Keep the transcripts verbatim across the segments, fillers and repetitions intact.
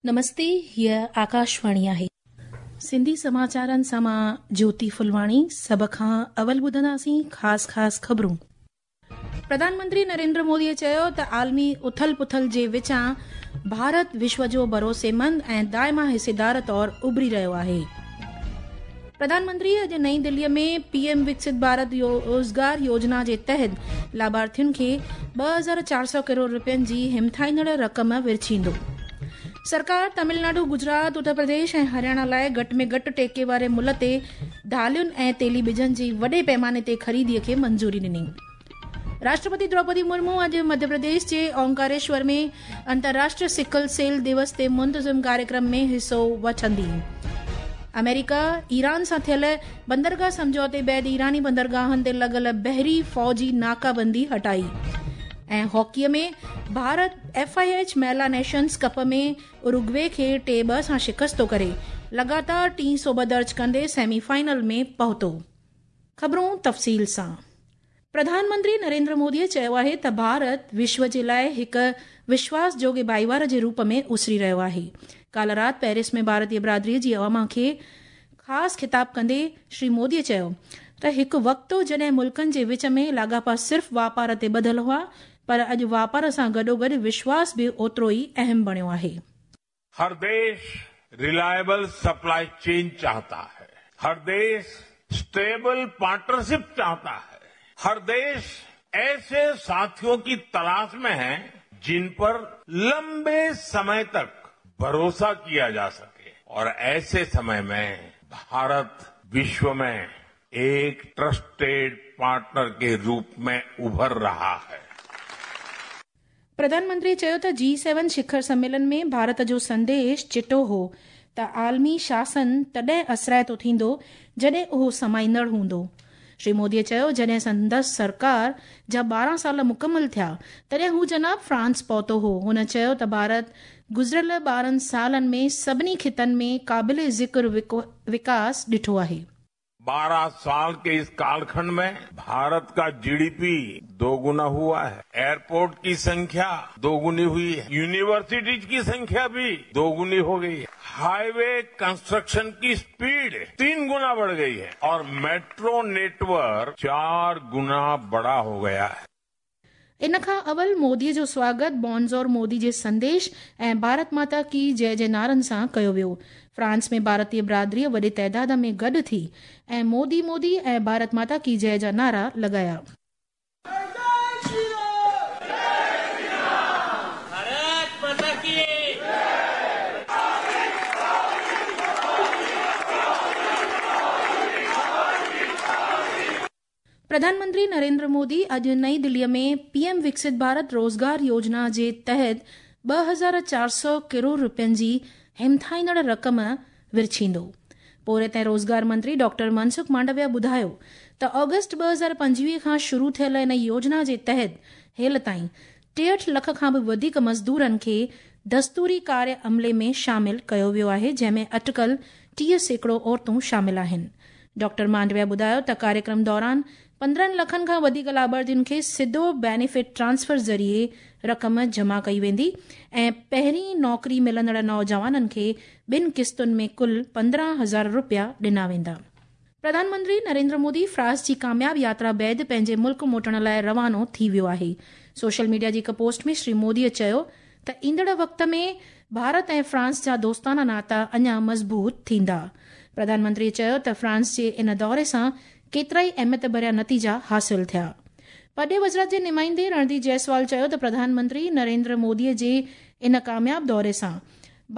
नमस्ते, हीअ आकाशवाणी आहे। सिंधी समाचारनि सां मां ज्योति फुलवाणी। सभ खां अवल ॿुधंदासीं ख़ासि ख़ासि ख़बरूं। प्रधानमंत्री नरेंद्र मोदीअ चयो त आलमी उथल पुथल जे विचां भारत विश्व जो भरोसेमंद ऐं दाइमा हिस्सेदार तौर उभरी रहियो आहे। प्रधानमंत्री अॼु नई दिल्लीअ में पीएम विकसित भारत रोज़गार योजना जे तहत लाभार्थियुनि खे ॿ हज़ार चारि सौ करोड़ रुपयनि जी हिमथाईंदड़ रक़म विरछींदो। सरकार तमिलनाडु, गुजरात, उत्तर प्रदेश ऐं हरियाणा लाइ घटि में घटि टेके वारे मुल्ह ते दालियुनि ऐं तेली ॿिजनि जी वॾे पैमाने ते ख़रीदीअ खे मंज़ूरी ॾिनी। राष्ट्रपति द्रौपदी मुर्मू अॼु मध्य प्रदेश जे ओंकारेश्वर में अंतर्राष्ट्रीय सिकल सेल दिवस ते मुंतज़िम कार्यक्रम में हिसो वठंदी। अमेरिका ईरान सां थियल बंदरगाह सम्झौते बाद ईरानी बंदरगाहनि ते लॻल बहरी फ़ौजी नाकाबंदी हटाई। ऐं हॉकीअ में भारत एफ I H महिला नेशंस कप में उरुग्वे खे टे ॿ सां शिकस्तो करे लगातार टीं सोब दर्ज कंदे सेमीफाइनल में पहुतो। ख़बरूं तफ़सील सां। प्रधानमंत्री नरेंद्र मोदीअ चयो आहे त भारत विश्व जे लाइ हिकु विश्वास जोगे भाईवार जे रूप में उसरी रहियो आहे। काल्ह राति पेरिस में भारतीय बिरादरीअ जी अवाम खे ख़ासि ख़िताब कंदे श्री मोदीअ चयो त हिकु वक़्तु जॾहिं मुल्कनि जे विच में लाॻापा सिर्फ़ वापार ते ॿधल हुआ, पर अॼु वापार सां गॾोगॾु विश्वास बि ओतिरो ई अहम बणियो आहे। हर देश रिलायबल सप्लाई चेन चाहता है, हर देश स्टेबल पार्टनरशिप चाहता है, हर देश ऐसे साथियों की तलाश में है जिन पर लंबे समय तक भरोसा किया जा सके। और ऐसे समय में भारत विश्व में एक ट्रस्टेड पार्टनर के रूप में उभर रहा है। प्रधानमंत्री चयो त जी सेवन शिखर सम्मेलन में भारत जो संदेश चिटो हो त आलमी शासन तॾहिं असराइतो थींदो जॾहिं उहो समाईंदड़ हूंदो। श्री मोदीअ चयो जॾहिं संदसि सरकार जा ॿारहं साल मुकमल थिया तॾहिं हू जनाब फ्रांस पहुतो हो। हुन चयो त भारत गुज़िरियल ॿारहं सालनि में सभिनी ख़ितनि में क़ाबिल ज़िक्र विकास ॾिठो आहे। बारह साल के इस कालखंड में भारत का जीडीपी दोगुना हुआ है, एयरपोर्ट की संख्या दोगुनी हुई है, यूनिवर्सिटीज की संख्या भी दोगुनी हो गई है, हाईवे कंस्ट्रक्शन की स्पीड तीन गुना बढ़ गई है और मेट्रो नेटवर्क चार गुना बड़ा हो गया है। इन खां अवल मोदीअ जो स्वागत बॉन्जोर मोदी जे संदेश ऐं भारत माता की जय जे नारनि सां कयो वियो। फ्रांस में भारतीय बिरादरीअ वॾे तादाद में गॾु थी ऐं मोदी मोदी ऐं भारत माता की जय जा नारा लॻाया। प्रधानमंत्री नरेंद्र मोदी अॼु नई दिल्लीअ में पीएम विकसित भारत रोज़गार योजना जे तहत ॿ हज़ार चारि सौ करोड़ रुपयनि जी हिमथाईंदड़ रक़म विरछींदो। पोरियत ऐं रोज़गार मंत्री डॉक्टर मनसुख मांडविया ॿुधायो त ऑगस्ट ॿ हज़ार पंजवीह खां शुरू थियल इन योजना जे तहत हेल ताईं टेहठि लख खां बि वधीक मज़दूरनि खे दस्तूरी कार्य अमले में शामिल कयो वियो आहे, जंहिंमें अटकल टीह सैकड़ो औरतूं शामिल आहिनि। डॉक्टर मांडविया ॿुधायो त कार्यक्रम दौरान पंद्रहं लखनि खां वधीक लाभार्थियुनि खे सिधो बेनिफिट ट्रांसफर ज़रिए रक़म जमा कई वेंदी ऐं पहिरीं नौकरी मिलंदड़ नौजवाननि खे ॿिनि क़िस्तुनि में कुल पंद्रहं हज़ार रुपया ॾिना वेंदा। प्रधानमंत्री नरेंद्र मोदी फ्रांस जी कामयाब यात्रा बाद पंहिंजे मुल्क मोटण लाइ रवानो थी वियो आहे। सोशल मीडिया जी हिकु पोस्ट में श्री मोदीअ चयो त ईंदड़ वक़्त में भारत ऐं फ्रांस जा दोस्ताना नाता अञा मज़बूत थींदा। प्रधानमंत्री चयो त फ्रांस जे इन दौरे सां केतिरा ई अहमियत भरिया नतीजा हासिल थिया। पॾे वज़ारत जे नुमाइंदे रणधीर जायसवाल चयो त प्रधानमंत्री नरेंद्र मोदीअ जे इन कामयाब दौरे सां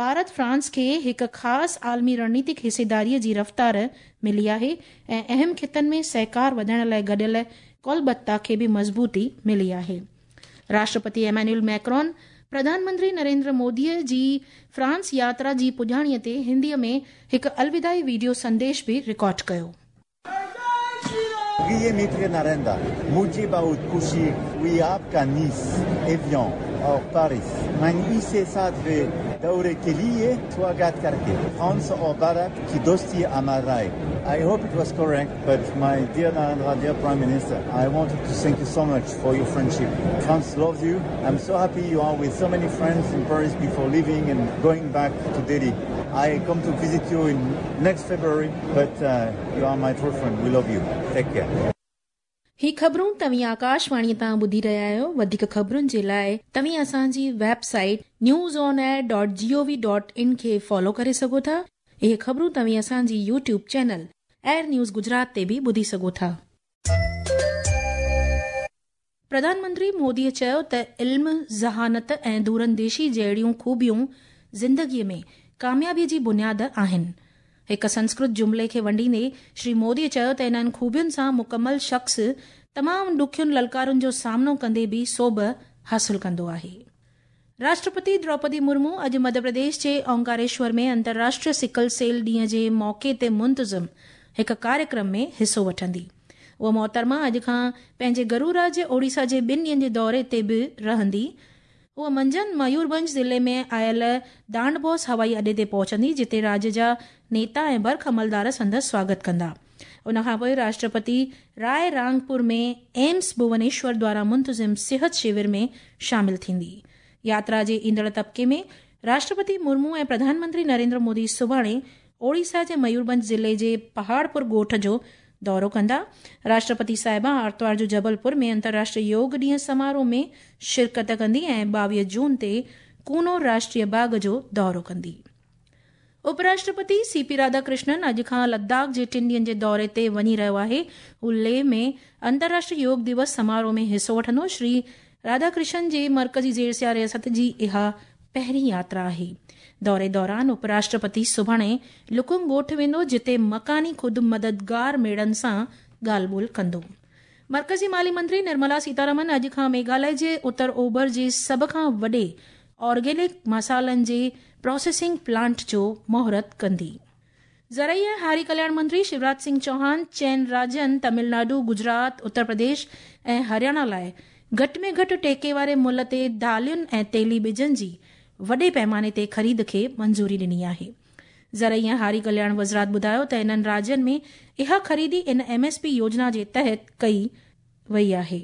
भारत फ्रांस खे हिकु ख़ासि आलमी रणनीतिक हिस्सेदारीअ जी रफ़्तार मिली आहे ऐं अहम ख़ितनि में सहकार वधाइण लाइ गॾियल कौलबद्धता खे बि मज़बूती मिली आहे। राष्ट्रपति एमेन्युअल मैक्रोन प्रधानमंत्री नरेंद्र मोदीअ जी फ्रांस यात्रा जी पुॼाणीअ ते हिंदीअ में हिकु अलविदाई वीडियो संदेश बि रिकॉर्ड कयो। प्रिय मित्र नरेंद्र, मुझे बहुत खुशी हुई आपका नीस, एवियन और पेरिस। मैं इसे सातवें दौरे के लिए स्वागत करके फ्रांस और भारत की दोस्ती अमर रहे। I hope it was correct, but my dear Narendra, dear Prime Minister, I wanted to thank you so much for your friendship. France loves you. I'm so happy you are with so many friends in Paris before leaving and going back to Delhi. I come to visit you in next February, but uh, you are my true friend. We love you. Take care. ही ख़बरूं तव्हीं आकाशवाणी तां ॿुधी रहिया आहियो। वधीक ख़बरुनि जे लाइ तव्हीं असांजी website news on air dot G O V dot in खे फॉलो करे सघो था। इहे ख़बरूं तव्हीं असांजी YouTube channel AIR news Gujarat ते बि ॿुधी सघो था। प्रधानमंत्री मोदीअ चयो त इल्म, ज़हानत ऐं दूरंदेशी जहिड़ियूं ख़ूबियूं ज़िंदगीअ में कामयाबीअ जी बुनियाद आहिनि। हिकु संस्कृत जुमिले खे वंडींदे श्री मोदीअ चयो त इन्हनि ख़ूबियुनि सां मुकमल शख़्स तमामु ॾुखियुनि ललकारुनि जो सामनो कंदे बि सोभ हासिल कंदो आहे। राष्ट्रपति द्रौपदी मुर्मू अॼु मध्य प्रदेश जे ओंकारेश्वर में अंतर्राष्ट्रीय सिकल सेल ॾींहं जे मौक़े ते मुंतज़िम हिकु कार्यक्रम में हिसो वठंदी। उहा मोहतरमा अॼु खां पंहिंजे गरू राज्य ओडिशा जे ॿिनि ॾींहंनि जे दौरे ते बि रहंदी। उहा मंझंदि मयूरभंज ज़िले में आयल दांडबोस हवाई अॾे ते पहुचंदी, जिते राज्य जा नेता ऐं बर्ख अमलदार संदसि स्वागत कंदा। उन खां पोइ राष्ट्रपति राय रांगपुर में एम्स भुवनेश्वर द्वारा मुंतज़िम सिहत शिविर में शामिल थींदी। यात्रा जे ईंदड़ तबके में राष्ट्रपति मुर्मू ऐं प्रधानमंत्री नरेंद्र मोदी सुभाणे ओडिशा जे मयूरभंज ज़िले जे पहाड़पुर ॻोठ जो दौरो कंदा। राष्ट्रपति साहिबा आरतवार जो जबलपुर में अंतर्राष्ट्रीय योग ॾींहं समारोह में शिरकत कंदी ऐं ॿावीह जून ते कूनो राष्ट्रीय बाग़ जो दौरो कंदी। उपराष्ट्रपति सी पी राधाकृष्णन अॼु खां लद्दाख जे टिनि ॾींहंनि जे दौरे ते वञी रहियो आहे। हू लेह में अंतर्राष्ट्रीय योग दिवस समारोह में हिसो वठंदो। श्री राधाकृष्णन जे मर्कज़ी ज़ेर रियासत जी इहा पहिरीं यात्रा आहे। दौरे दौरान उपराष्ट्रपति सुभाणे लुकुंग ॻोठ वेंदो, जिते मकानी ख़ुदि मददगार मेड़नि सां ॻाल्हि ॿोल कंदो। मर्कज़ी माली मंत्री निर्मला सीतारमन अॼु खां मेघालय जे उत्तर ओभर जे सभ खां वॾे ऑर्गेनिक मसालनि जे प्रोसेसिंग प्लांट जो मुहूर्त कंदी। ज़रई ऐं हारी कल्याण मंत्री शिवराज सिंह चौहान चइनि राज्यनि तमिलनाडु, गुजरात, उत्तर प्रदेश ऐं हरियाणा लाइ घटि में घटि टेके वारे मुल्ह ते दालियुनि ऐं तेली ॿिजनि जी वॾे पैमाने ते ख़रीद खे मंज़ूरी ॾिनी आहे। ज़रई ऐं हारी कल्याण वज़ारत ॿुधायो त इन्हनि राज्यनि में इहा ख़रीदी इन एम एस पी योजना जे तहत कई वई आहे।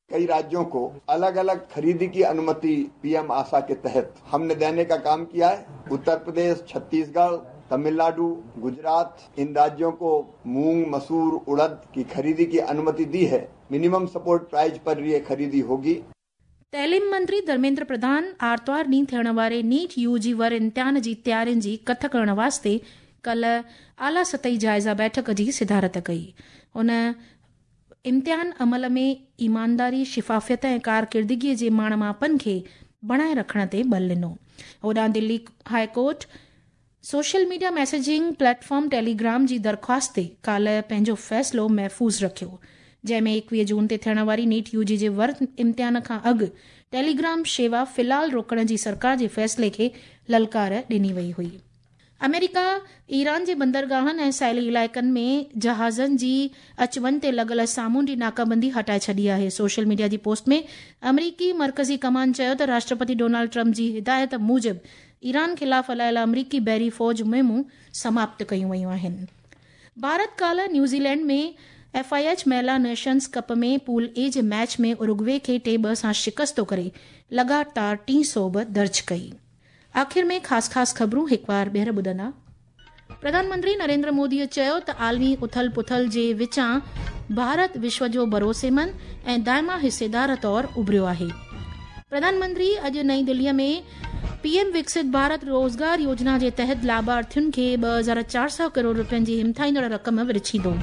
कई राज्यों को अलग अलग खरीदी की अनुमति पीएम आशा के तहत हमने देने का काम किया है। उत्तर प्रदेश, छत्तीसगढ़, तमिलनाडु, गुजरात, इन राज्यों को मूंग, मसूर, उड़द की खरीदी की अनुमति दी है। मिनिमम सपोर्ट प्राइस पर ये खरीदी होगी। तालीम मंत्री धर्मेंद्र प्रधान आरतवार ॾींहुं थियण वारे नीट you जी वर इम्तिहान जी तयारियुनि जी कथ करण वास्ते कल आला सतही जाइज़ा बैठक जी सिदारत कई। हुन इम्तिहान अमल में ईमानदारी, शिफाफियत ऐं कारकिर्दगीअ जे माण मापनि खे बणाए रखण ते बल ॾिनो। होॾां Delhi high court social media messaging platform Telegram जी दरख़्वास्त ते काल्ह पंहिंजो फ़ैसिलो महफ़ूज़ रखियो, जंहिंमें एकवीह जून ते थियण वारी नीट you जी जे वर इम्तिहान खां अॻु टेलीग्राम शेवा फ़िलहाल रोकण जी सरकार जे फ़ैसिले खे ललकार ॾिनी वई हुई। अमेरिका ईरान जे बंदरगाहनि ऐं साहिली इलाइक़नि में जहाज़नि जी अच वञ ते लॻल सामुंडी नाकाबंदी हटाए छॾी आहे। सोशल मीडिया जी पोस्ट में अमरीकी मर्कज़ी कमान चयो त राष्ट्रपति डोनाल्ड ट्रंप जी हिदायत मूजिबि ईरान ख़िलाफ़ हलायल अमरीकी बहरी फ़ौज मुहिमूं समाप्त कयूं वयूं आहिनि। भारत काल्ह न्यूज़ीलैंड में एफ I H महिला नेशंस कप में पूल ए जे मैच में उरुग्वे खे टे ॿ सां शिकस्तो करे लगातार टीं सोभ दर्ज कई। आख़िर में ख़ासि ख़ासि ख़बरूं हिकु बार ॿीहर ॿुधंदा। प्रधानमंत्री नरेंद्र मोदीअ चयो त आलमी उथल पुथल जे विचां भारत विश्व जो भरोसेमंद ऐं दाइमा हिस्सेदार तौर उभरियो आहे। प्रधानमंत्री अॼु नई दिल्लीअ में पीएम विकसित भारत रोज़गार योजना जे तहत लाभार्थियुनि खे ॿ हज़ार चारि सौ करोड़ रुपयनि जी हिमथाईंदड़ रक़म विरिछींदो।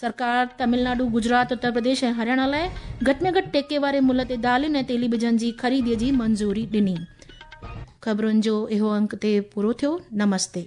सरकार तमिलनाडु, गुजरात, उत्तर प्रदेश ऐं हरियाणा लाइ घटि में घटि टेके वारे मुल्ह ते दालियुनि ऐं तेली ॿिजनि जी ख़रीदीअ जी मंज़ूरी ॾिनी। ख़बरुनि जो इहो अंक ते पूरो थियो। नमस्ते।